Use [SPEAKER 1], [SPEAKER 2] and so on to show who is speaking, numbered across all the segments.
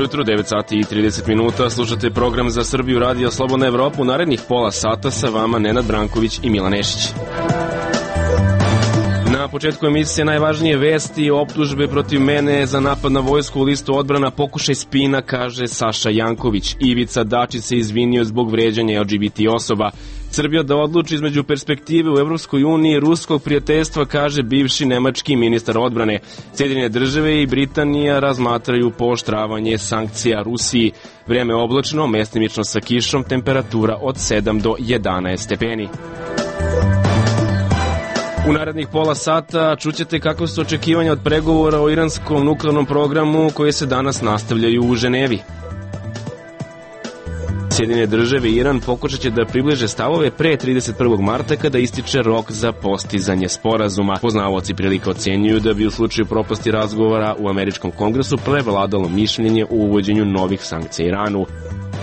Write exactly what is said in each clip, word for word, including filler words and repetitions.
[SPEAKER 1] Jutro, devet sati i trideset minuta, slušate program Za Srbiju Radio Slobodna Evropa. U narednih pola sata sa vama Nenad Branković i Milan Nešić. Na početku emisije najvažnije vesti, optužbe protiv mene za napad na vojsku u listu odbrana, pokušaj spina, kaže Saša Janković. Ivica Dačić se izvinio zbog vređanja L G B T osoba. Srbija da odluči između perspektive u Evropskoj uniji i ruskog prijateljstva, kaže bivši nemački ministar odbrane. Sjedinjene države i Britanija razmatraju pooštravanje sankcija Rusiji. Vreme oblačno, mestimično sa kišom, temperatura od sedam do jedanaest stepeni. U narednih pola sata čućete kako su očekivanja od pregovora o iranskom nuklearnom programu koje se danas nastavljaju u Ženevi. Sjedinjene države i Iran pokušat će da približe stavove pre trideset prvog marta kada ističe rok za postizanje sporazuma. Poznavaoci prilike ocenjuju da bi u slučaju propasti razgovora u američkom kongresu prevladalo mišljenje o uvođenju novih sankcija Iranu.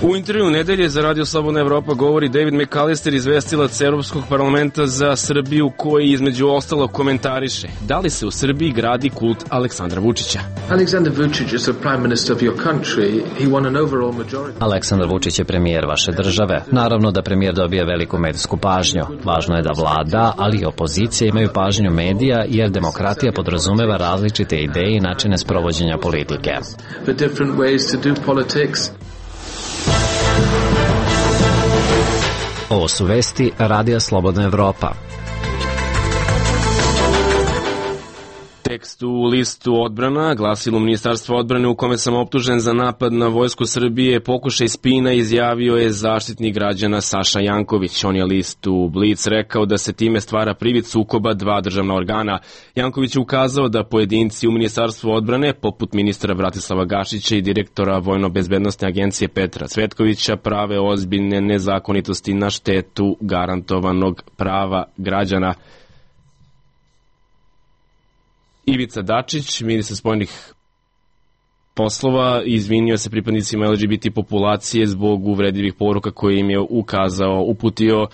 [SPEAKER 1] U intervju nedelje za Radio Slobodna Evropa govori David McAllister, izvestilac Evropskog parlamenta za Srbiju, koji između ostalo komentariše da li se u Srbiji gradi kult Aleksandra Vučića.
[SPEAKER 2] Aleksandar Vučić is the prime minister of your country. He won an overall majority.
[SPEAKER 3] Aleksandar Vučić je premijer vaše države. Naravno da premijer dobije veliku medijsku pažnju. Važno je da vlada, ali i opozicija imaju pažnju medija, jer demokratija podrazumeva različite ideje i načine sprovođenja politike.
[SPEAKER 2] The different ways to do politics.
[SPEAKER 3] Ovo su vesti Radija Slobodna Evropa.
[SPEAKER 1] Tekst u listu odbrana, glasilo Ministarstva odbrane u kome sam optužen za napad na vojsku Srbije, pokušaj spina, izjavio je zaštitnik građana Saša Janković. On je listu Blic rekao da se time stvara privid sukoba dva državna organa. Janković je ukazao da pojedinci u Ministarstvu odbrane, poput ministra Bratislava Gašića i direktora Vojno-bezbednostne agencije Petra Cvetkovića, prave ozbiljne nezakonitosti na štetu garantovanog prava građana. Ivica Dačić, ministar spoljnih poslova, izvinio se pripadnicima L G B T populacije zbog uvredljivih poruka koje im je ukazao, uputio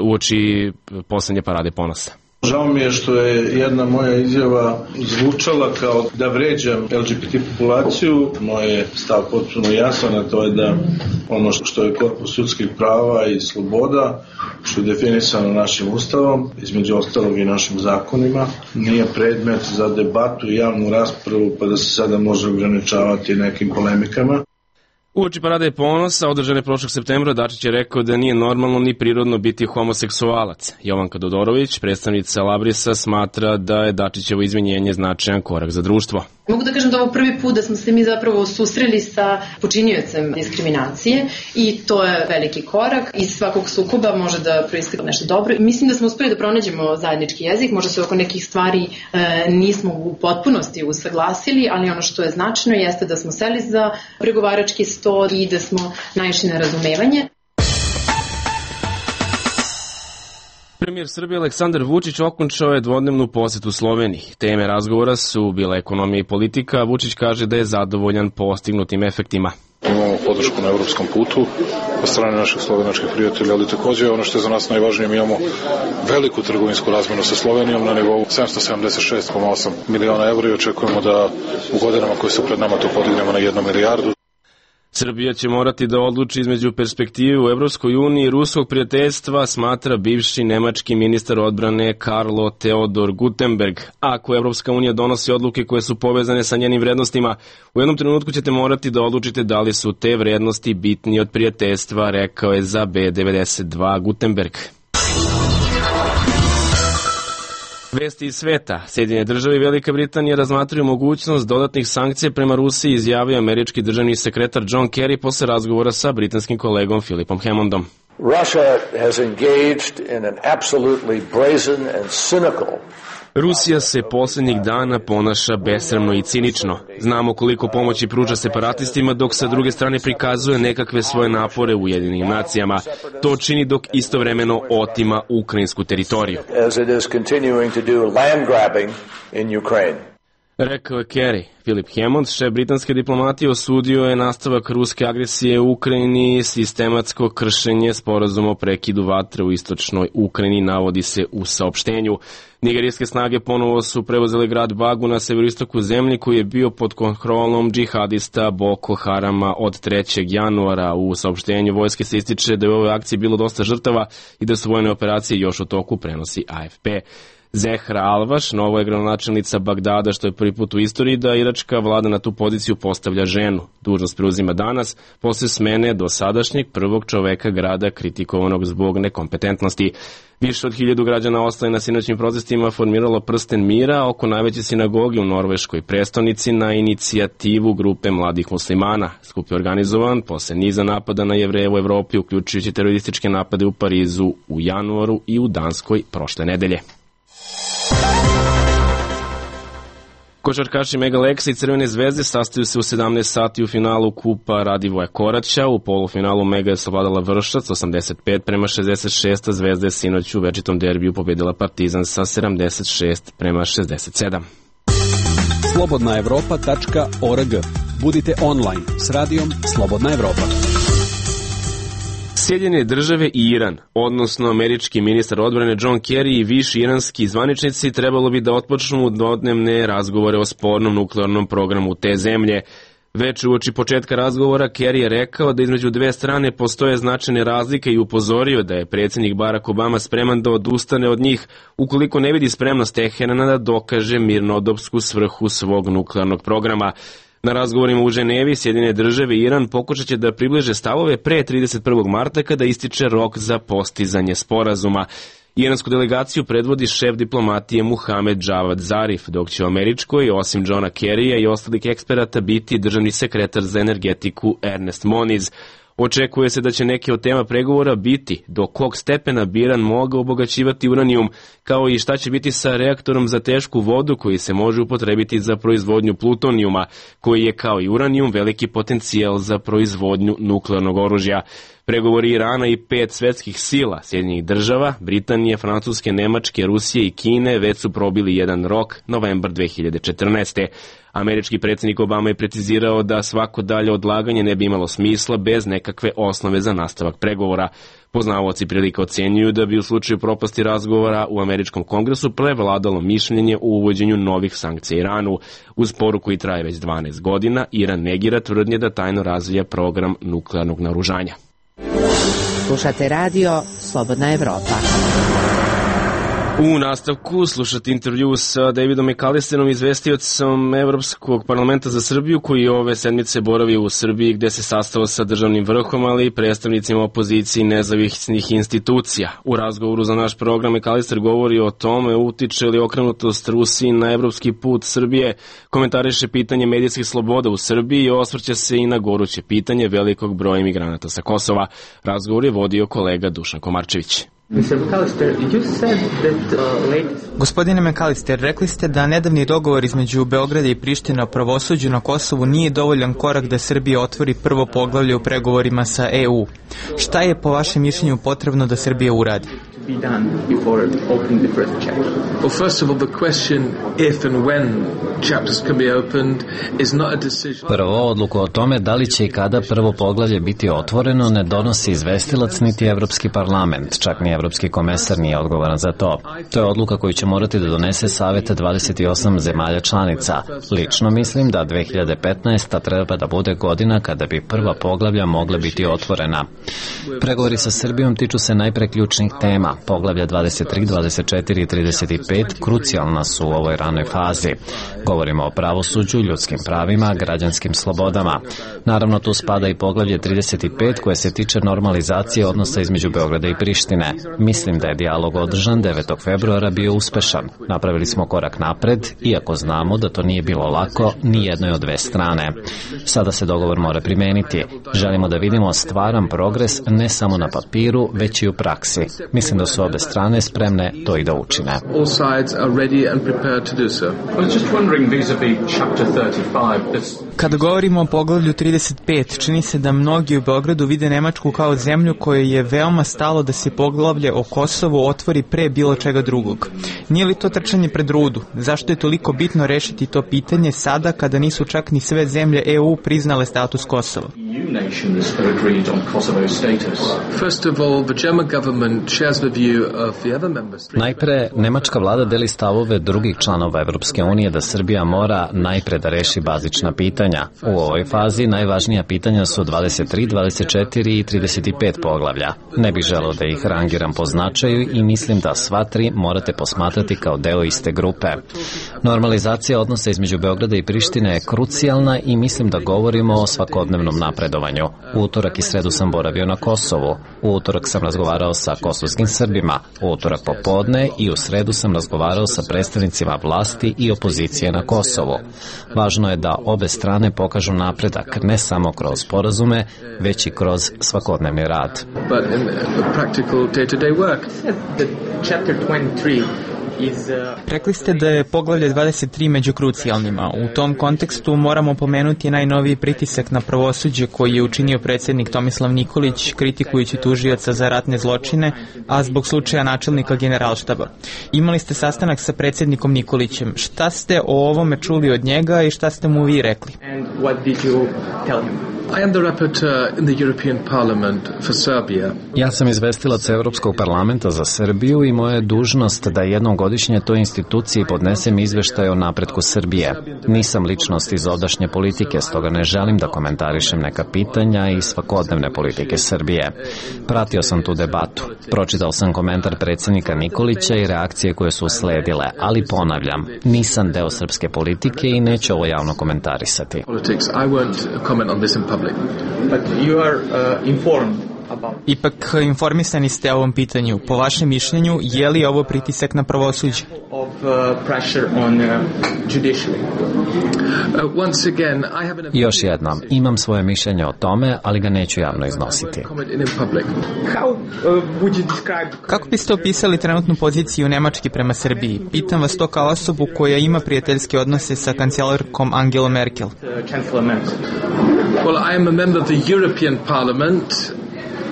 [SPEAKER 1] uoči poslednje parade ponosa.
[SPEAKER 4] Žao mi je što je jedna moja izjava zvučala kao da vređam L G B T populaciju. Moj je stav potpuno jasan, a to je da ono što je korpus ljudskih prava i sloboda, što je definisano našim ustavom, između ostalog i našim zakonima, nije predmet za debatu i javnu raspravu, pa da se sada može ograničavati nekim polemikama.
[SPEAKER 1] Uoči parade ponosa, održane prošlog septembra, Dačić je rekao da nije normalno ni prirodno biti homoseksualac. Jovanka Dodorović, predstavnica Labrisa, smatra da je Dačićevo izvinjenje značajan korak za društvo.
[SPEAKER 5] Mogu da kažem da ovo prvi put da smo se mi zapravo susreli sa počiniocem diskriminacije i to je veliki korak. Iz svakog sukoba može da proistekne nešto dobro. Mislim da smo uspeli da pronađemo zajednički jezik, možda se oko nekih stvari e, nismo u potpunosti usaglasili, ali ono što je značajno jeste da smo seli za pregovarački sto i da smo naišli na razumevanje.
[SPEAKER 1] Premijer Srbije Aleksandar Vučić okončao je dvodnevnu posetu Sloveniji. Teme razgovora su bila ekonomija i politika. Vučić kaže da je zadovoljan postignutim efektima.
[SPEAKER 6] Imamo podršku na evropskom putu od strane naših slovenačkih prijatelja, ali takođe ono što je za nas najvažnije, mi imamo veliku trgovinsku razmenu sa Slovenijom na nivou sedamsto sedamdeset šest zarez osam miliona evra i očekujemo da u godinama koje su pred nama to podignemo na jednu milijardu.
[SPEAKER 1] Srbija će morati da odluči između perspektive u Evropskoj uniji i ruskog prijateljstva, smatra bivši nemački ministar odbrane Karlo Theodor Guttenberg. Ako Evropska unija donosi odluke koje su povezane sa njenim vrednostima, u jednom trenutku ćete morati da odlučite da li su te vrednosti bitnije od prijateljstva, rekao je za B devedeset dva Guttenberg. Vesti iz sveta. Sjedinjene države i Velika Britanija razmatraju mogućnost dodatnih sankcija prema Rusiji, izjavio američki državni sekretar John Kerry posle razgovora sa britanskim kolegom Philipom Hammondom.
[SPEAKER 7] Russia has engaged in an absolutely brazen and cynical
[SPEAKER 1] Rusija se posljednjih dana ponaša besramno i cinično. Znamo koliko pomoći pruža separatistima, dok sa druge strane prikazuje nekakve svoje napore u Ujedinjenim nacijama. To čini dok istovremeno otima ukrajinsku teritoriju. Rekao je Kerry. Filip Hammond, šef britanske diplomatije, osudio je nastavak ruske agresije u Ukrajini, sistematsko kršenje sporazuma o prekidu vatre u istočnoj Ukrajini, navodi se u saopštenju. Nigerijske snage ponovo su preuzeli grad Bagu na severoistoku zemlje koji je bio pod kontrolom džihadista Boko Harama od trećeg januara. U saopštenju vojske se ističe da je u ovoj akciji bilo dosta žrtava i da su vojne operacije još u toku, prenosi A F P. Zehra Alvaš, novo je gradonačelnica Bagdada, što je prvi put u istoriji da iračka vlada na tu poziciju postavlja ženu. Dužnost preuzima danas, posle smene dosadašnjeg prvog čoveka grada kritikovanog zbog nekompetentnosti. Više od hiljadu građana ostaje na sinoćnim protestima formiralo prsten mira oko najveće sinagoge u norveškoj prestonici na inicijativu grupe mladih muslimana. Skup je organizovan posle niza napada na Jevreje u Evropi, uključujući terorističke napade u Parizu u januaru i u Danskoj prošle nedelje. Košarkaši Mega Leksa i Crvene zvezde sastaju se u sedamnaest sati u finalu kupa Radivoja Koraća. U polufinalu Mega je savladala Vršac osamdeset pet prema šezdeset šest, a Zvezda je sinoć u večitom derbiju pobedila Partizan sa sedamdeset šest prema šezdeset sedam.
[SPEAKER 8] slobodna evropa tačka org. Budite online s radijom Slobodna Evropa.
[SPEAKER 1] Sjedinjene države i Iran, odnosno američki ministar odbrane John Kerry i viši iranski zvaničnici trebalo bi da otpočnu dvodnevne razgovore o spornom nuklearnom programu te zemlje. Već uoči početka razgovora Kerry je rekao da između dve strane postoje značajne razlike i upozorio da je predsjednik Barack Obama spreman da odustane od njih ukoliko ne vidi spremnost Teherana da dokaže mirnodopsku svrhu svog nuklearnog programa. Na razgovorima u Ženevi, Sjedinjene države i Iran pokušat će da približe stavove pre trideset prvog marta kada ističe rok za postizanje sporazuma. Iransku delegaciju predvodi šef diplomatije Muhamed Javad Zarif, dok će u američkoj, osim Johna Kerrya i ostalih eksperata, biti državni sekretar za energetiku Ernest Moniz. Očekuje se da će neke od tema pregovora biti do kog stepena bi Iran mogao obogaćivati uranijum, kao i šta će biti sa reaktorom za tešku vodu koji se može upotrebiti za proizvodnju plutonijuma, koji je kao i uranijum veliki potencijal za proizvodnju nuklearnog oružja. Pregovori Irana i pet svetskih sila, Sjedinjenih država, Britanije, Francuske, Nemačke, Rusije i Kine, već su probili jedan rok, novembar dve hiljade četrnaeste. Američki predsjednik Obama je precizirao da svako dalje odlaganje ne bi imalo smisla bez nekakve osnove za nastavak pregovora. Poznavaoci prilika ocenjuju da bi u slučaju propasti razgovora u američkom kongresu prevladalo mišljenje o uvođenju novih sankcija Iranu. Uz poruku koji traje već dvanaest godina, Iran negira tvrdnje da tajno razvija program nuklearnog naoružanja.
[SPEAKER 9] Slušate radio Slobodna Evropa.
[SPEAKER 1] U nastavku slušati intervju sa Davidom McAllisterom, izvestiocom Evropskog parlamenta za Srbiju, koji ove sedmice boravi u Srbiji gde se sastao sa državnim vrhom, ali i predstavnicima opozicije i nezavisnih institucija. U razgovoru za naš program McAllister govori o tome utiče li okrenutost Rusiji na evropski put Srbije, komentariše pitanje medijskih sloboda u Srbiji i osvrće se i na goruće pitanje velikog broja imigranata sa Kosova. Razgovor je vodio kolega Dušan Komarčević.
[SPEAKER 10] Gospodine McAllister, rekli ste da nedavni dogovor između Beograda i Prištine o pravosuđu na Kosovu nije dovoljan korak da Srbija otvori prvo poglavlje u pregovorima sa E U. Šta je po vašem mišljenju potrebno da Srbija uradi?
[SPEAKER 2] Well, first of all, the question if and when chapters can be opened is not a decision.
[SPEAKER 3] Prvo, odluku o tome da li će i kada prvo poglavlje biti otvoreno ne donosi izvestilac niti Evropski parlament, čak ni Evropski komesar nije odgovoran za to. To je odluka koju će morati da donese Savet dvadeset osam zemalja članica. Lično mislim da dve hiljade petnaesta. treba da bude godina kada bi prva poglavlja mogla biti otvorena. Pregovori sa Srbijom tiču se najpre ključnih tema. Poglavlja dvadeset tri, dvadeset četiri i trideset pet krucijalna su u ovoj ranoj fazi. Govorimo o pravosuđu, ljudskim pravima, građanskim slobodama. Naravno, tu spada i poglavlje trideset pet koje se tiče normalizacije odnosa između Beograda i Prištine. Mislim da je dijalog održan devetog februara bio uspešan. Napravili smo korak napred, iako znamo da to nije bilo lako ni jednoj od dve strane. Sada se dogovor mora primeniti. Želimo da vidimo stvaran progres ne samo na papiru, već i u praksi. Mislim da su obe strane spremne to i da učine.
[SPEAKER 2] All sides are ready and prepared to do so.
[SPEAKER 11] I was just wondering vis-a-vis chapter thirty-five.
[SPEAKER 10] Kada govorimo o poglavlju trideset pet, čini se da mnogi u Beogradu vide Nemačku kao zemlju kojoj je veoma stalo da se poglavlje o Kosovu otvori pre bilo čega drugog. Nije li to trčanje pred rudu? Zašto je toliko bitno rešiti to pitanje sada kada nisu čak ni sve zemlje E U priznale status Kosova?
[SPEAKER 2] First of all, the German government shares the view of the other member states.
[SPEAKER 3] Najpre, nemačka vlada deli stavove drugih članova Evropske unije da Srbija mora najpre da reši bazična pitanja. U ovoj fazi najvažnija pitanja su dvadeset tri, dvadeset četiri i trideset pet poglavlja. Ne bih želeo da ih rangiram po značaju i mislim da sva tri morate posmatrati kao deo iste grupe. Normalizacija odnosa između Beograda i Prištine je krucijalna i mislim da govorimo o svakodnevnom napredovanju. U utorak i sredu sam boravio na Kosovu. U utorak sam razgovarao sa kosovskim Srbima. U utorak popodne i u sredu sam razgovarao sa predstavnicima vlasti i opozicije na Kosovu. Važno je da obe strane pokažu napredak ne samo kroz sporazume, već i kroz svakodnevni rad.
[SPEAKER 2] But in the practical day-to-day work.
[SPEAKER 10] The chapter twenty-three Rekli ste da je poglavlje dvadeset tri među krucijalnima. U tom kontekstu moramo pomenuti najnoviji pritisak na pravosuđe koji je učinio predsjednik Tomislav Nikolić kritikujući tužioca za ratne zločine, a zbog slučaja načelnika Generalštaba. Imali ste sastanak sa predsjednikom Nikolićem. Šta ste o ovome čuli od njega i šta ste mu vi rekli?
[SPEAKER 2] And what did you tell him? I am the rapporteur in the European Parliament for Serbia.
[SPEAKER 3] Ja sam izvestilac Evropskog parlamenta za Srbiju i moja je dužnost da jednom godišnje toj instituciji podnesem izveštaj o napretku Srbije. Nisam ličnost iz ovdašnje politike, stoga ne želim da komentarišem neka pitanja i svakodnevne politike Srbije. Pratio sam tu debatu. Pročitao sam komentar predsjednika Nikolića i reakcije koje su usledile, ali ponavljam, nisam deo srpske politike i neću ovo javno komentarisati.
[SPEAKER 2] I won't comment on this in public.
[SPEAKER 10] But you are uh, informed. Ipak informisani ste o ovom pitanju. Po vašem mišljenju, je li ovo pritisak na pravosuđe? Još jednom, imam svoje mišljenje o tome, ali ga neću javno iznositi. Kako biste opisali trenutnu poziciju Nemačke prema Srbiji? Pitam vas to kao osobu koja ima prijateljske odnose sa kancelarkom Angelom Merkel.
[SPEAKER 2] Well, I am a member of the European Parliament.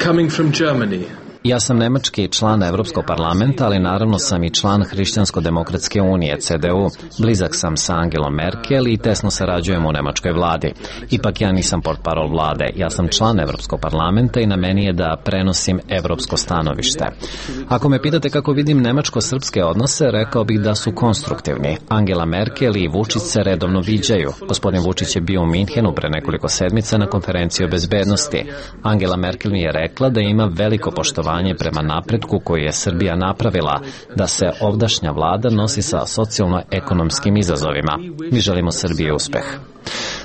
[SPEAKER 2] Coming from Germany.
[SPEAKER 3] Ja sam nemački član Evropskog parlamenta, ali naravno sam i član Hrišćansko-demokratske unije, C D U. Blizak sam sa Angelom Merkel i tesno sarađujem u nemačkoj vladi. Ipak ja nisam portparol vlade, ja sam član Evropskog parlamenta i na meni je da prenosim evropsko stanovište. Ako me pitate kako vidim nemačko-srpske odnose, rekao bih da su konstruktivni. Angela Merkel i Vučić se redovno viđaju. Gospodin Vučić je bio u Minhenu pre nekoliko sedmica na konferenciji o bezbednosti. Angela Merkel mi je rekla da ima veliko poštovanje prema napretku koji je Srbija napravila, da se ovdašnja vlada nosi sa socijalno-ekonomskim izazovima. Mi želimo Srbiji uspeh.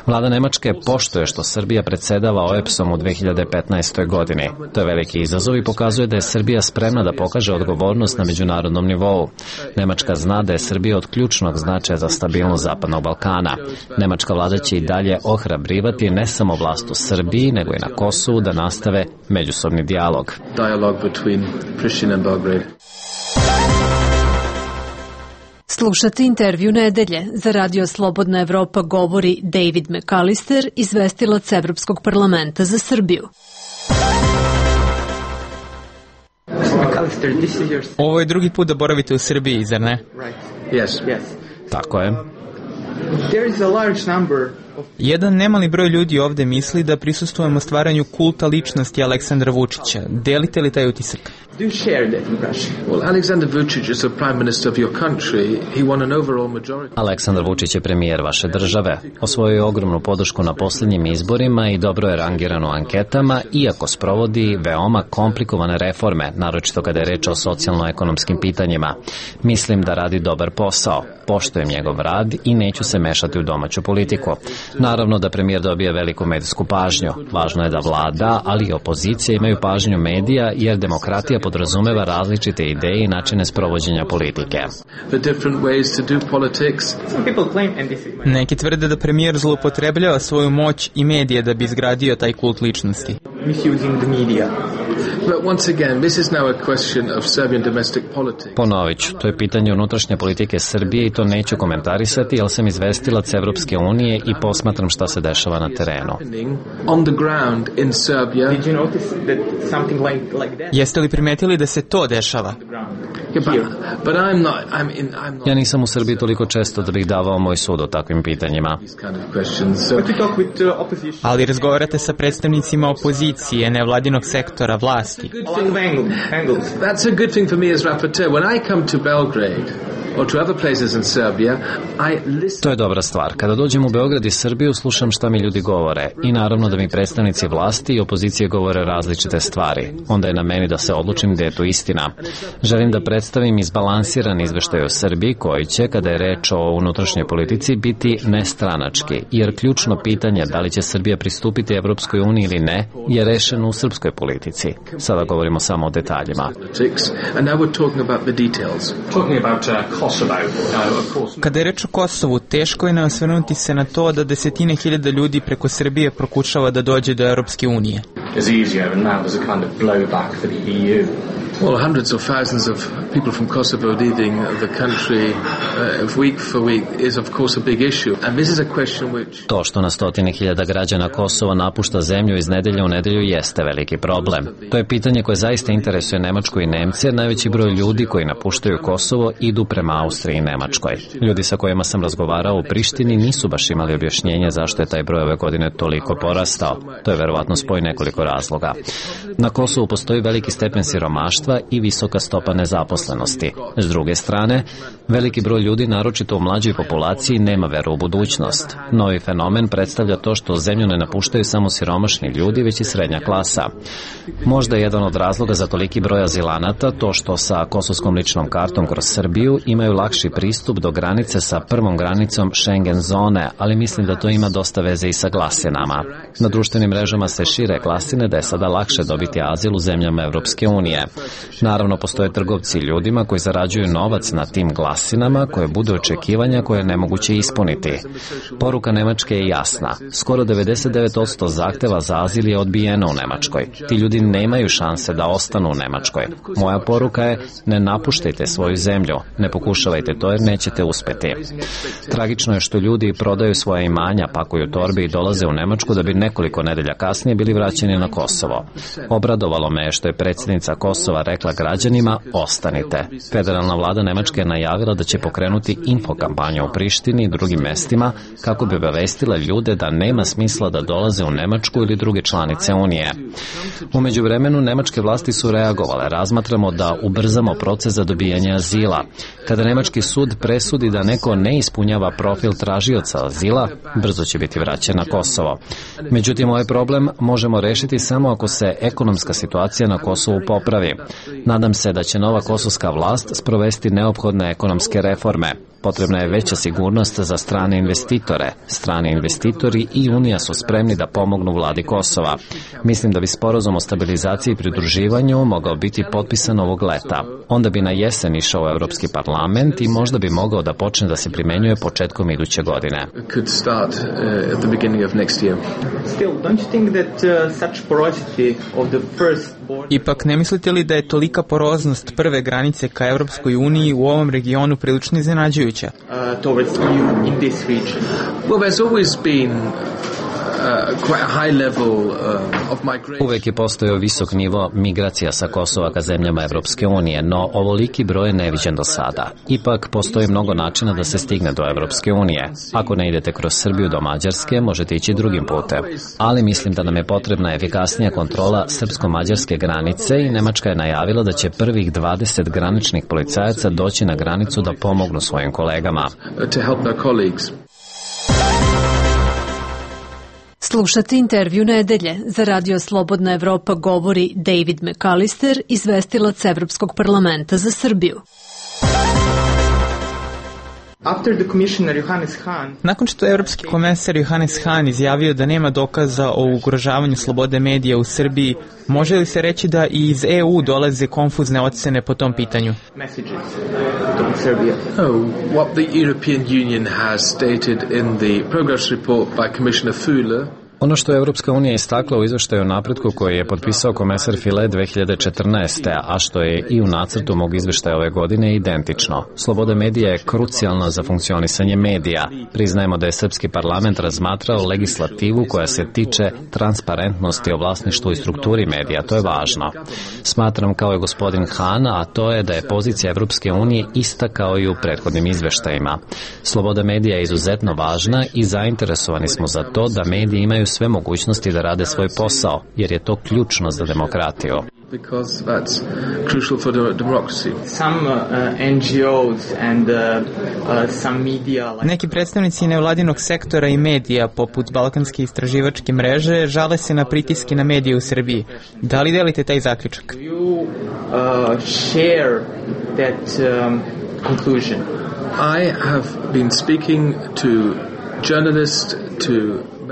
[SPEAKER 3] Vlada Nemačke poštuje što Srbija predsedava O E B S-om u dve hiljade petnaestoj. godini. To je veliki izazov i pokazuje da je Srbija spremna da pokaže odgovornost na međunarodnom nivou. Nemačka zna da je Srbija od ključnog značaja za stabilnost Zapadnog Balkana. Nemačka vlada će i dalje ohrabrivati ne samo vlast u Srbiji, nego i na Kosovu da nastave međusobni dijalog.
[SPEAKER 2] Dialogue between Pristina and Belgrade.
[SPEAKER 12] Slušate intervju nedelje. Za Radio Slobodna Evropa govori David McAllister, izvestilac Evropskog parlamenta za Srbiju.
[SPEAKER 10] Ovo je drugi put da boravite u Srbiji, zar ne?
[SPEAKER 2] Yes.
[SPEAKER 3] Tako je.
[SPEAKER 10] Jedan nemali broj ljudi ovde misli da prisustvujemo stvaranju kulta ličnosti Aleksandra Vučića. Delite li taj utisak?
[SPEAKER 2] Do you share that impression? Well, Alexander Vučić is the prime minister of your country. He won an overall majority.
[SPEAKER 3] Aleksandar Vučić je premijer vaše države. Osvojio je ogromnu podršku na posljednjim izborima i dobro je rangiran u anketama, iako sprovodi veoma komplikovane reforme, naročito kada je reč o socijalno-ekonomskim pitanjima. Mislim da radi dobar posao. Poštujem njegov rad i neću se mešati u domaću politiku. Naravno da premijer dobija veliku medijsku pažnju. Važno je da vlada, ali i opozicija imaju pažnju medija, jer demokratija podrazumeva različite ideje i načine sprovođenja politike.
[SPEAKER 10] Neki tvrde da premijer zloupotrebljava svoju moć i medije da bi izgradio taj kult ličnosti. misusing the media.
[SPEAKER 2] But once again, this is now a question of Serbian domestic politics.
[SPEAKER 3] Ponovit ću, to je pitanje unutrašnje politike Srbije i to neću komentarisati, jer sam izvestilac Evropske unije i posmatram šta se dešava na terenu.
[SPEAKER 2] On the ground in Serbia.
[SPEAKER 10] Did you notice that something like like that? Jeste li primetili da se to dešava?
[SPEAKER 2] Yeah, but, but I'm not, I'm in, I'm not...
[SPEAKER 3] Ja nisam u Srbiji toliko često da bih davao moj sud o takvim pitanjima.
[SPEAKER 10] Ali razgovarate sa predstavnicima opozicije, nevladinog sektora, vlasti.
[SPEAKER 2] That's a good thing for me as rapporteur. When I come to Belgrade, or to other places in Serbia, I listen...
[SPEAKER 3] To je dobra stvar. Kada dođem u Beograd i Srbiju, slušam šta mi ljudi govore i naravno da mi predstavnici vlasti i opozicije govore različite stvari. Onda je na meni da se odlučim gde je to istina. Želim da predstavim izbalansiran izveštaj o Srbiji koji će, kada je reč o unutrašnjoj politici, biti nestranački, jer ključno pitanje da li će Srbija pristupiti Evropskoj uniji ili ne je rešeno u srpskoj politici. Sada govorimo samo o detaljima.
[SPEAKER 10] Kada je reč o Kosovu, teško je ne osvrnuti se na to da desetine hiljada ljudi preko Srbije prokušava da dođe do Evropske unije.
[SPEAKER 2] Well, hundreds of thousands of people from Kosovo leaving the country uh, week for week is of course a big issue. And this is a question which...
[SPEAKER 3] To što na stotine hiljada građana Kosova napušta zemlju iz nedelje u nedelju jeste veliki problem. To je pitanje koje zaista interesuje Nemačku i Nemce, jer najveći broj ljudi koji napuštaju Kosovo idu prema Austriji i Nemačkoj. Ljudi sa kojima sam razgovarao u Prištini nisu baš imali objašnjenje zašto je taj broj ove godine toliko porastao. To je verovatno spoj nekoliko razloga. Na Kosovu postoji veliki stepen siromaštva i visoka stopa nezaposlenosti. S druge strane, veliki broj ljudi, naročito u mlađoj populaciji, nema veru u budućnost. Novi fenomen predstavlja to što zemlju ne napuštaju samo siromašni ljudi, već i srednja klasa. Možda je jedan od razloga za toliki broj azilanata to što sa kosovskom ličnom kartom kroz Srbiju imaju lakši pristup do granice sa prvom granicom Schengen zone, ali mislim da to ima dosta veze i sa glasinama. Na društvenim mrežama se šire glasine da je sada lakše dobiti azil u zemljama Evropske unije. Naravno, postoje trgovci ljudima koji zarađuju novac na tim glasinama koje budu očekivanja koje je nemoguće ispuniti. Poruka Nemačke je jasna. Skoro devedeset devet posto zahteva za azil je odbijeno u Nemačkoj. Ti ljudi nemaju šanse da ostanu u Nemačkoj. Moja poruka je ne napuštajte svoju zemlju, ne pokušavajte to jer nećete uspeti. Tragično je što ljudi prodaju svoje imanja, pakuju torbe i dolaze u Nemačku da bi nekoliko nedelja kasnije bili vraćeni na Kosovo. Obradovalo me je što je predsjednica Kosova rekla građanima ostanite. Federalna vlada Nemačke je najavila da će pokrenuti infokampanju u Prištini i drugim mestima kako bi obavestila ljude da nema smisla da dolaze u Nemačku ili druge članice Unije. U međuvremenu nemačke vlasti su reagovale. Razmatramo da ubrzamo proces za dobijanje azila. Kada nemački sud presudi da neko ne ispunjava profil tražioca azila, brzo će biti vraćen na Kosovo. Međutim, ovaj problem možemo rešiti samo ako se ekonomska situacija na Kosovu popravi. Nadam se da će nova kosovska vlast sprovesti neophodne ekonomske reforme. Potrebna je veća sigurnost za strane investitore. Strani investitori i Unija su spremni da pomognu vladi Kosova. Mislim da bi sporazum o stabilizaciji i pridruživanju mogao biti potpisan ovog leta. Onda bi na jesen išao u Evropski parlament i možda bi mogao da počne da se primenjuje početkom iduće godine.
[SPEAKER 10] Ipak, ne mislite li da je tolika poroznost prve granice ka Evropskoj uniji u ovom regionu prilično iznenađujuća? Uh, towards E U in this region?
[SPEAKER 2] Well, there's always been
[SPEAKER 3] Uvek je postojao visok nivo migracija sa Kosova ka zemljama Evropske unije, no ovoliki broj je neviđen do sada. Ipak postoji mnogo načina da se stigne do Evropske unije. Ako ne idete kroz Srbiju do Mađarske, možete ići drugim putem. Ali mislim da nam je potrebna efikasnija kontrola srpsko-mađarske granice i Nemačka je najavila da će prvih dvadeset graničnih policajaca doći na granicu da pomognu svojim kolegama.
[SPEAKER 12] Slušate intervju nedelje. Za Radio Slobodna Evropa govori David McAllister, izvestilac Evropskog parlamenta za Srbiju.
[SPEAKER 10] Nakon što je Evropski komesar Johannes Hahn izjavio da nema dokaza o ugrožavanju slobode medija u Srbiji, može li se reći da i iz E U dolaze konfuzne ocene po tom pitanju?
[SPEAKER 2] Oh, what the European Union has stated in the progress report by Commissioner Füle.
[SPEAKER 3] Ono što je Evropska unija istakla u izveštaju o napretku koji je potpisao komesar File dve hiljade četrnaeste. a što je i u nacrtu mog izveštaja ove godine identično. Sloboda medija je krucijalna za funkcionisanje medija. Priznajemo da je srpski parlament razmatrao legislativu koja se tiče transparentnosti o vlasništvu i strukturi medija. To je važno. Smatram kao je gospodin Han, a to je da je pozicija Evropske unije ista kao i u prethodnim izveštajima. Sloboda medija je izuzetno važna i zainteresovani smo za to da mediji imaju sve mogućnosti da rade svoj posao, jer je to ključno za demokratiju.
[SPEAKER 2] Because that's crucial for the democracy.
[SPEAKER 10] Some uh, N G Os and uh, uh, some media like... Neki predstavnici nevladinog sektora i medija poput Balkanske istraživačke mreže žale se na pritiske na medije u Srbiji. Da li delite taj zaključak? Do you uh, share that um, conclusion?
[SPEAKER 2] I have been speaking to journalists, to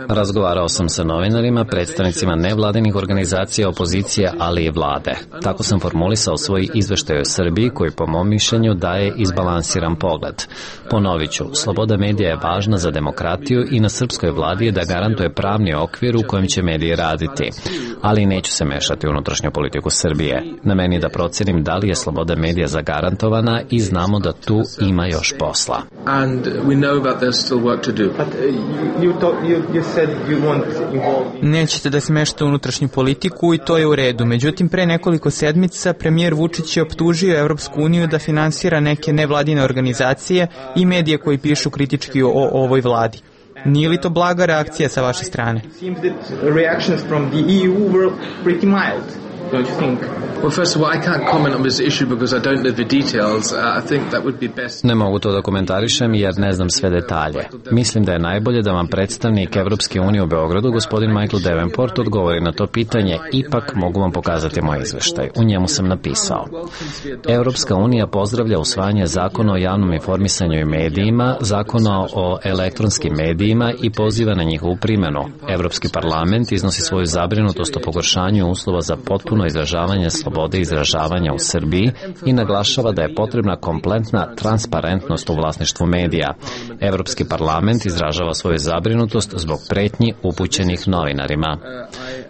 [SPEAKER 3] Razgovarao sam sa novinarima, predstavnicima nevladinih organizacija, opozicije, ali i vlade. Tako sam formulisao svoj izveštaj o Srbiji koji po mom mišljenju daje izbalansiran pogled. Ponovit ću, sloboda medija je važna za demokratiju i na srpskoj vladi je da garantuje pravni okvir u kojem će mediji raditi. Ali neću se mešati u unutrašnju politiku Srbije. Na meni da procenim da li je sloboda medija zagarantovana i znamo da tu ima još posla.
[SPEAKER 2] And we know that there's still work to do.
[SPEAKER 10] But uh, you, you, you, you said you won't involve in... Nećete da se mešate u unutrašnju politiku i to je u redu. Međutim, pre nekoliko sedmica premijer Vučić je optužio Evropsku uniju da finansira neke nevladine organizacije i medije koji pišu kritički o, o ovoj vladi. Nije li to blaga reakcija sa vaše strane? It seems that reactions from the E U were pretty mild. Don't you think?
[SPEAKER 2] Well, first of all, I can't comment on this issue because I don't know the details. Uh, I think that would be best.
[SPEAKER 3] Ne mogu to da komentarišem jer ne znam sve detalje. Mislim da je najbolje da vam predstavnik Evropske unije u Beogradu, gospodin Michael Davenport, odgovori na to pitanje. Ipak mogu vam pokazati moj izveštaj. U njemu sam napisao. Evropska unija pozdravlja usvajanje zakona o javnom informisanju i medijima, zakona o elektronskim medijima i poziva na njihovu primjenu. Evropski parlament iznosi svoju zabrinutost o pogoršanju uslova za potpuno izražavanje slobode izražavanja u Srbiji i naglašava da je potrebna kompletna transparentnost u vlasništvu medija. Evropski parlament izražava svoju zabrinutost zbog pretnji upućenih novinarima.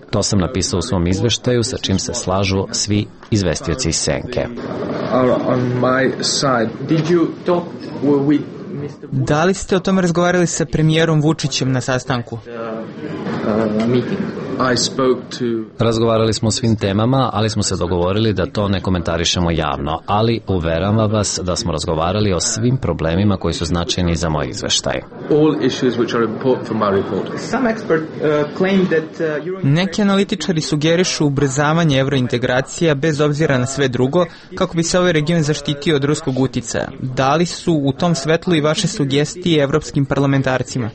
[SPEAKER 3] To sam napisao u svom izveštaju sa čim se slažu svi izvestioci iz Senke.
[SPEAKER 10] Da li ste o tome razgovarali sa premijerom Vučićem na sastanku?
[SPEAKER 3] Razgovarali smo o svim temama, ali smo se dogovorili da to ne komentarišemo javno, ali uveravam vas da smo razgovarali o svim problemima koji su značajni za moj izveštaj.
[SPEAKER 10] Neki analitičari sugerišu ubrzavanje evrointegracija bez obzira na sve drugo, kako bi se ovaj region zaštitio od ruskog uticaja. Da li su u tom svetlu i vaše sugestije evropskim parlamentarcima?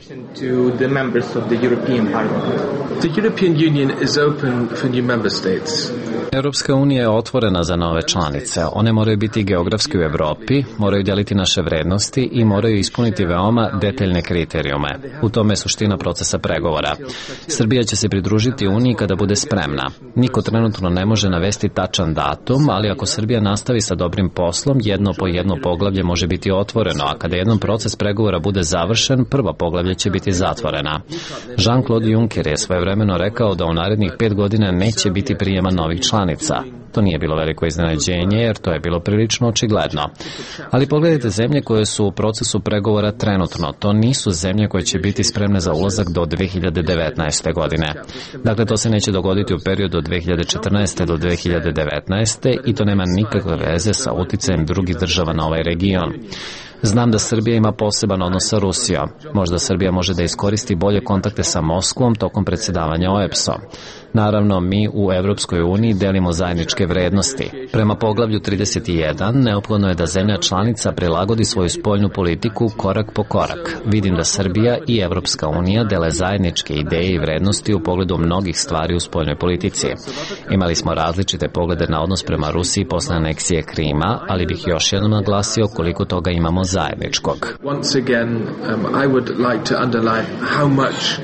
[SPEAKER 2] The European Union is open for new member states.
[SPEAKER 3] Europska unija je otvorena za nove članice. One moraju biti geografski u Evropi, moraju deliti naše vrednosti i moraju ispuniti veoma detaljne kriterijume. U tome je suština procesa pregovora. Srbija će se pridružiti Uniji kada bude spremna. Niko trenutno ne može navesti tačan datum, ali ako Srbija nastavi sa dobrim poslom, jedno po jedno poglavlje može biti otvoreno, a kada jedan proces pregovora bude završen, prva poglavlje će biti zatvorena. Jean-Claude Juncker je svojevremeno rekao da u narednih pet godina neće biti prijema novih članica. To nije bilo veliko iznenađenje jer to je bilo prilično očigledno. Ali pogledajte zemlje koje su u procesu pregovora trenutno. To nisu zemlje koje će biti spremne za ulazak do dve hiljade devetnaeste. godine. Dakle, to se neće dogoditi u periodu od dve hiljade četrnaeste. do dve hiljade devetnaeste. i to nema nikakve veze sa uticajem drugih država na ovaj region. Znam da Srbija ima poseban odnos sa Rusijom. Možda Srbija može da iskoristi bolje kontakte sa Moskvom tokom predsjedavanja O E B S-om. Naravno, mi u Evropskoj uniji delimo zajedničke vrednosti. Prema poglavlju trideset jedan neophodno je da zemlja članica prilagodi svoju spoljnu politiku korak po korak. Vidim da Srbija i Evropska unija dele zajedničke ideje i vrednosti u pogledu mnogih stvari u spoljnoj politici. Imali smo različite poglede na odnos prema Rusiji posle aneksije Krima, ali bih još jednom naglasio koliko toga imamo zajedničkog.
[SPEAKER 2] Once again, um, I would like to underline how much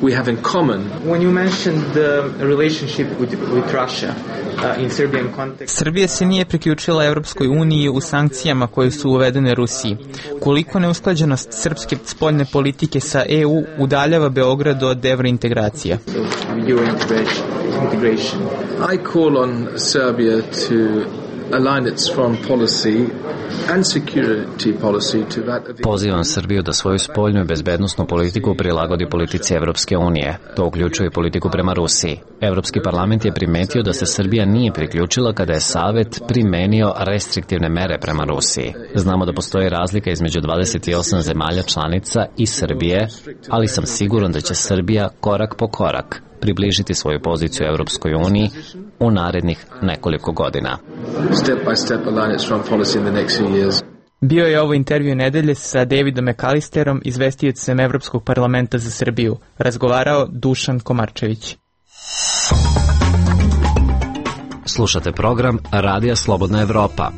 [SPEAKER 2] we have in common.
[SPEAKER 10] When you mentioned the relationship with, with Russia uh, in Serbian context... Srbija se nije priključila Evropskoj uniji u sankcijama koje su uvedene Rusiji. Koliko neusklađenost srpske spoljne politike sa E U udaljava Beograd od evrointegracija?
[SPEAKER 2] I call on Serbia to align its foreign policy and security policy to that of the...
[SPEAKER 3] Pozivam Srbiju da svoju spoljnu i bezbednosnu politiku prilagodi politici Evropske unije. To uključuje politiku prema Rusiji. Evropski parlament je primetio da se Srbija nije priključila kada je Savet primenio restriktivne mere prema Rusiji. Znamo da postoji razlika između dvadeset osam zemalja članica i Srbije, ali sam siguran da će Srbija korak po korak približiti svoju poziciju Evropskoj uniji u narednih nekoliko godina.
[SPEAKER 2] Step by step align its foreign policy in the next few years.
[SPEAKER 10] Bio je ovo intervju nedelje sa Davidom McAllisterom, izvestiocem Evropskog parlamenta za Srbiju. Razgovarao Dušan Komarčević.
[SPEAKER 3] Slušate program Radija Slobodna Evropa.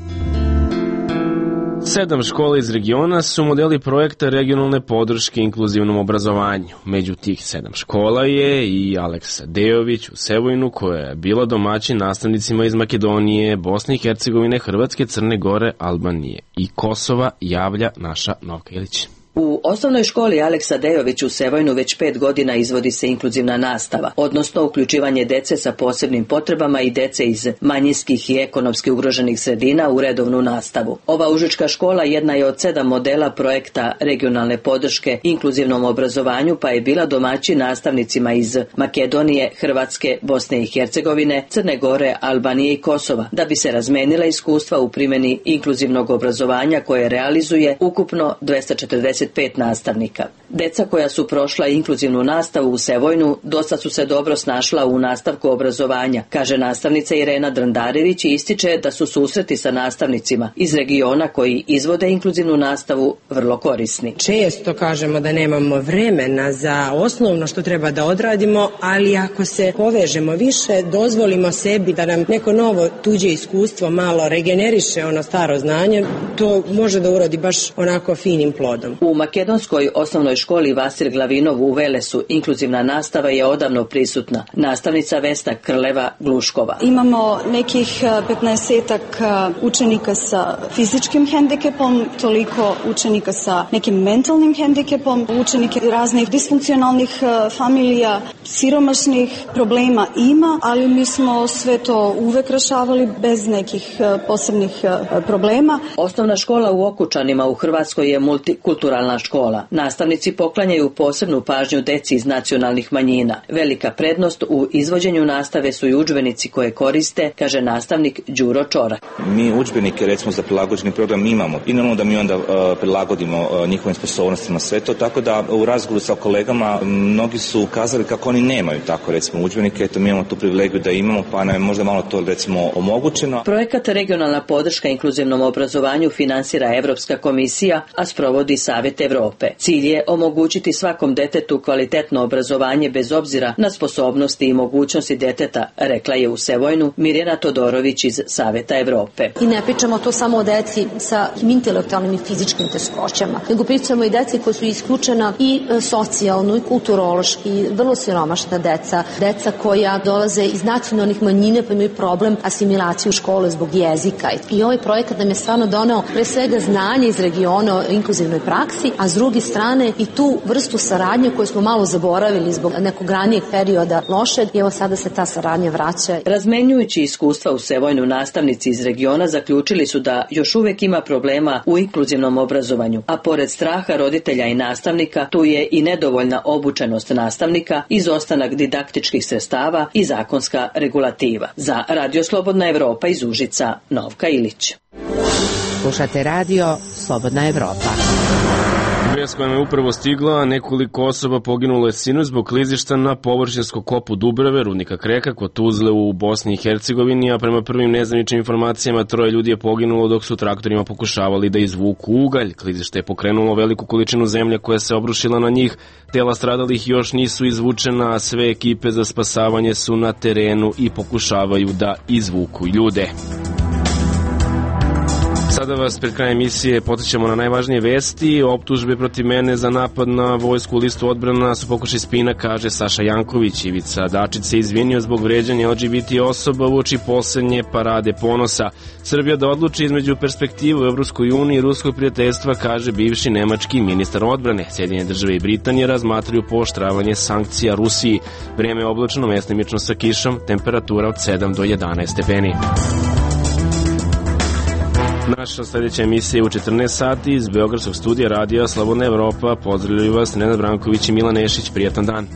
[SPEAKER 1] Sedam škola iz regiona su modeli projekta regionalne podrške inkluzivnom obrazovanju. Među tih sedam škola je i Aleksa Dejović u Sevojnu, koja je bila domaćin nastavnicima iz Makedonije, Bosne i Hercegovine, Hrvatske, Crne Gore, Albanije i Kosova, javlja naša Novka Ilić.
[SPEAKER 13] U osnovnoj školi Aleksa Dejović u Sevojnu već pet godina izvodi se inkluzivna nastava, odnosno uključivanje dece sa posebnim potrebama i dece iz manjinskih i ekonomski ugroženih sredina u redovnu nastavu. Ova užička škola jedna je od sedam modela projekta regionalne podrške inkluzivnom obrazovanju, pa je bila domaćin nastavnicima iz Makedonije, Hrvatske, Bosne i Hercegovine, Crne Gore, Albanije i Kosova, da bi se razmenila iskustva u primjeni inkluzivnog obrazovanja koje realizuje ukupno dvesta četrdeset pet nastavnika. Deca koja su prošla inkluzivnu nastavu u Sevojnu dosta su se dobro snašla u nastavku obrazovanja, kaže nastavnica Irena Drandarević i ističe da su susreti sa nastavnicima iz regiona koji izvode inkluzivnu nastavu vrlo korisni.
[SPEAKER 14] Često kažemo da nemamo vremena za osnovno što treba da odradimo, ali ako se povežemo više, dozvolimo sebi da nam neko novo tuđe iskustvo malo regeneriše ono staro znanje, to može da urodi baš onako finim plodom.
[SPEAKER 13] U makedonskoj osnovnoj školi Vasil Glavinov u Velesu inkluzivna nastava je odavno prisutna. Nastavnica Vesna Krleva-Gluškova.
[SPEAKER 15] Imamo nekih petnaestak učenika sa fizičkim hendikepom, toliko učenika sa nekim mentalnim hendikepom, učenike raznih disfunkcionalnih familija, siromašnih problema ima, ali mi smo sve to uvek rešavali bez nekih posebnih problema.
[SPEAKER 13] Osnovna škola u Okučanima u Hrvatskoj je multikulturalna škola. Nastavnici poklanjaju posebnu pažnju deci iz nacionalnih manjina. Velika prednost u izvođenju nastave su i udžbenici koje koriste, kaže nastavnik Đuro Čorak.
[SPEAKER 16] Mi udžbenike recimo za prilagođeni program imamo i normalno da mi onda uh, prilagodimo uh, njihovim sposobnostima sve to, tako da u razgovoru sa kolegama mnogi su kazali kako oni nemaju tako recimo udžbenike, eto mi imamo tu privilegiju da imamo, pa nam je možda malo to recimo omogućeno.
[SPEAKER 13] Projekat regionalna podrška inkluzivnom obrazovanju finansira Evropska komisija, a sprovodi Savet Evrope. Cilj je omogućiti svakom detetu kvalitetno obrazovanje bez obzira na sposobnosti i mogućnosti deteta, rekla je u Sevojnu Mirjana Todorović iz Saveta Evrope.
[SPEAKER 17] I ne pričamo to samo o deci sa intelektualnim i fizičkim teškoćama, nego pričamo i deci koji su isključena i socijalno i kulturološki, vrlo siromašna deca, deca koja dolaze iz nacionalnih manjina pa imaju problem asimilacije u škole zbog jezika. I ovaj projekat nam je stvarno doneo pre svega znanje iz regiona o inkluzivnoj praksi, a s druge strane i tu vrstu saradnje koju smo malo zaboravili zbog nekog ranijeg perioda lošeg i evo sada se ta saradnja vraća.
[SPEAKER 13] Razmenjujući iskustva u Sevojnu, nastavnici iz regiona zaključili su da još uvek ima problema u inkluzivnom obrazovanju, a pored straha roditelja i nastavnika, tu je i nedovoljna obučenost nastavnika, izostanak didaktičkih sredstava i zakonska regulativa. Za Radio Slobodna Evropa iz Užica, Novka Ilić.
[SPEAKER 9] Slušate Radio Slobodna Evropa.
[SPEAKER 1] Vest koja je upravo stigla, nekoliko osoba poginulo je sinoć zbog klizišta na površinskom kopu Dubrave, rudnika Kreka, kod Tuzle u Bosni i Hercegovini, a prema prvim nezvaničnim informacijama troje ljudi je poginulo dok su traktorima pokušavali da izvuku ugalj. Klizište je pokrenulo veliku količinu zemlje koja se obrušila na njih, tela stradalih još nisu izvučena, a sve ekipe za spasavanje su na terenu i pokušavaju da izvuku ljude. Sada sada vas pred krajem emisije podsjećamo na najvažnije vesti. Optužbe protiv mene za napad na vojsku u listu odbrana su pokušaj spina, kaže Saša Janković. Ivica Dačić se izvinio zbog vređanja L G B T osoba uoči poslednje parade ponosa. Srbija da odluči između perspektive u Evropskoj uniji i ruskog prijateljstva, kaže bivši nemački ministar odbrane. Sjedinjene države i Britanije razmatraju pooštravanje sankcija Rusiji. Vreme je oblačno, mestimično sa kišom, temperatura od sedam do jedanaest stepeni. Naša sledeća emisija je u četrnaest sati iz Beogradskog studija radija Slobodna Evropa. Pozdravljaju vas Nenad Branković i Milan Nešić. Prijatan dan.